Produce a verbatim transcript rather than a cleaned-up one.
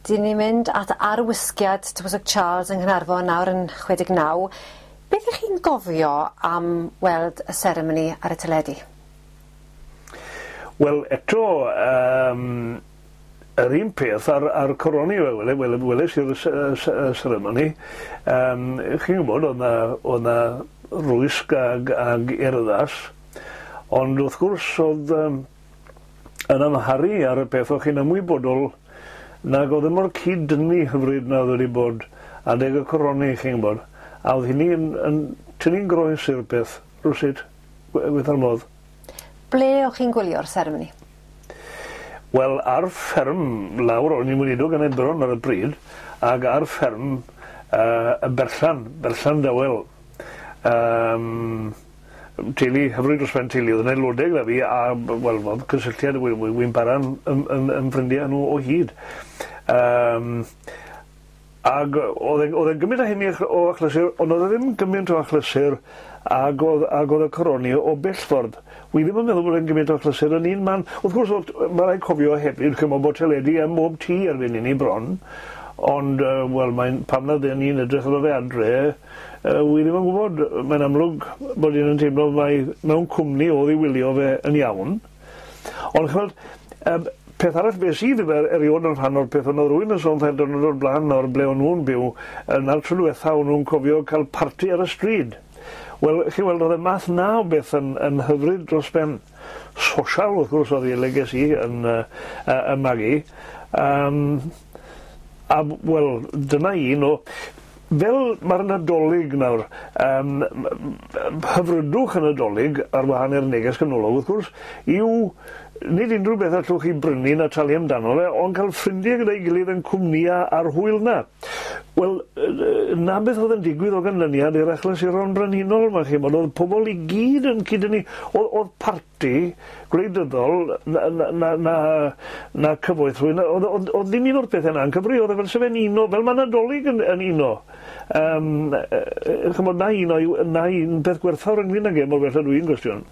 Dyn ni'n mynd at arwisgiad Tywysog Charles yng Nghaernarfon nawr yn chwe deg naw. Beth ych chi'n gofio am weld y seremoni ar y teledu? Wel, eto, um, yr un peth ar, ar coroni, wel, wel, weles i'r seremoni. Um, chi'n gwybod, oedd na, oedd na rwysg ag, ag urddas, ond wrth gwrs oedd um, yn amharu ar y peth o'ch chi'n ymwybodol nag oedd e mor cyd-dynnu hyfryd na oedd wedi bod adeg y coroni, chi'n gwybod. A oedd hynny yn, yn tynnu'n groes i'r peth, rywsut, gwaetha'r modd. Ble o'ch chi'n gwylio'r seremoni? Wel, ar fferm lawr, o'n i'n weinidog yn Aberfan ar y pryd, ag ar fferm uh, y Berllan, Berllan Dawel. Um, teulu, hyfryd dros ben teulu, oedd yn aelodau gyda fi, a, wel, oedd cysylltiad, wy'n para'n yn, yn, yn ffrindiau nhw o hyd. Um, ag oedd e'n gymaint o hynny o achlysur, ond oedd e ddim gymaint o achlysur ag oedd, ag oedd y coroni o bell ffordd. Wi ddim yn meddwl bod e'n gymaint o achlysur yn un man. Wrth gwrs, mae rhaid cofio hefyd, chymod, bod teledu ym mhob tŷ erbyn hynny bron, ond, uh, wel, mae'n, pam na ddyn ni'n edrych arno fe adre, uh, wi ddim yn gwybod. Mae'n amlwg bod un yn teimlo mai mewn cwmni oedd i wylio fe yn iawn. Ond chymod, um, peth arall beth sydd er, erioed yn rhan o'r peth, ond oedd rhywun yn sôn tair diwrnod o'r blaen o'r ble o'n nhw'n byw, na'r tro diwetha o'n nhw'n cofio cael parti ar y stryd. Wel, chi'n weld, oedd y math na o beth yn, yn hyfryd dros ben. Sosial, wrth gwrs, oedd i le ges i yn, uh, uh, yn magu. Um, a, wel, dyna un o... Fel mae'r Nadolig nawr, um, hyfrydwch y Nadolig ar wahan i'r neges ganolog, wrth gwrs, yw nid unrhyw beth allwch chi brynu na talu amdano fe, ond cael ffrindiau gyda'i gilydd yn cwmnïa ar hwyl na. Wel, na beth oedd yn digwydd o ganlyniad i'r achlysuron brenhinol yma, chi'n bod, oedd pobl i gyd yn cyd-dynnu, oedd, oedd parti gwleidyddol na, na, na, na, na cyfoeth rhywun, oedd, oedd, oedd ddim un o'r pethau yna yn cyfri, oedd e fel sef e'n uno, fel mae Nadolig yn, yn uno. Um, chymod, na un, o, na un peth gwerthfawr ynglyn ag e, mor bell ydw i'n gwestiwn.